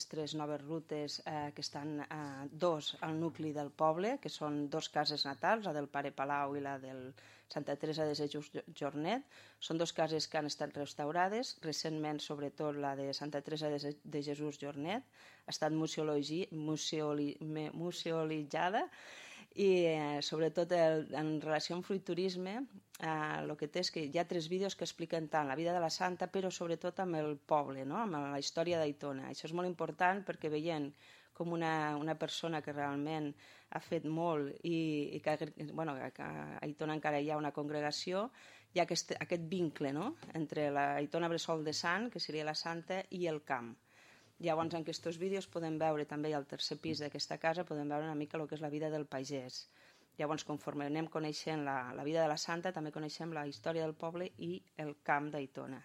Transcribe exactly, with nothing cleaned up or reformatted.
tres noves rutes eh, que estan eh, dos al nucli del poble, que són dos cases natals, la del Pare Palau i la del Santa Teresa de Jesús Jornet. Són dos cases que han estat restaurades, recentment sobretot la de Santa Teresa de Jesús Jornet ha estat museologi, museoli, museolitzada i eh, sobretot el, en relació amb fruiturisme el eh, que té és que hi ha tres vídeos que expliquen tant la vida de la santa però sobretot amb el poble, no? Amb la història d'Aitona. Això és molt important perquè veient com una, una persona que realment ha fet molt i, i que, bueno, que a Aitona encara hi ha una congregació, hi ha aquest, aquest vincle, no? Entre l'Aitona Bressol de Sant, que seria la santa, i el camp. Llavors, en aquests vídeos podem veure també al tercer pis d'aquesta casa, podem veure una mica el que és la vida del pagès. Llavors, conforme anem coneixent la, la vida de la santa, també coneixem la història del poble i el camp d'Aitona.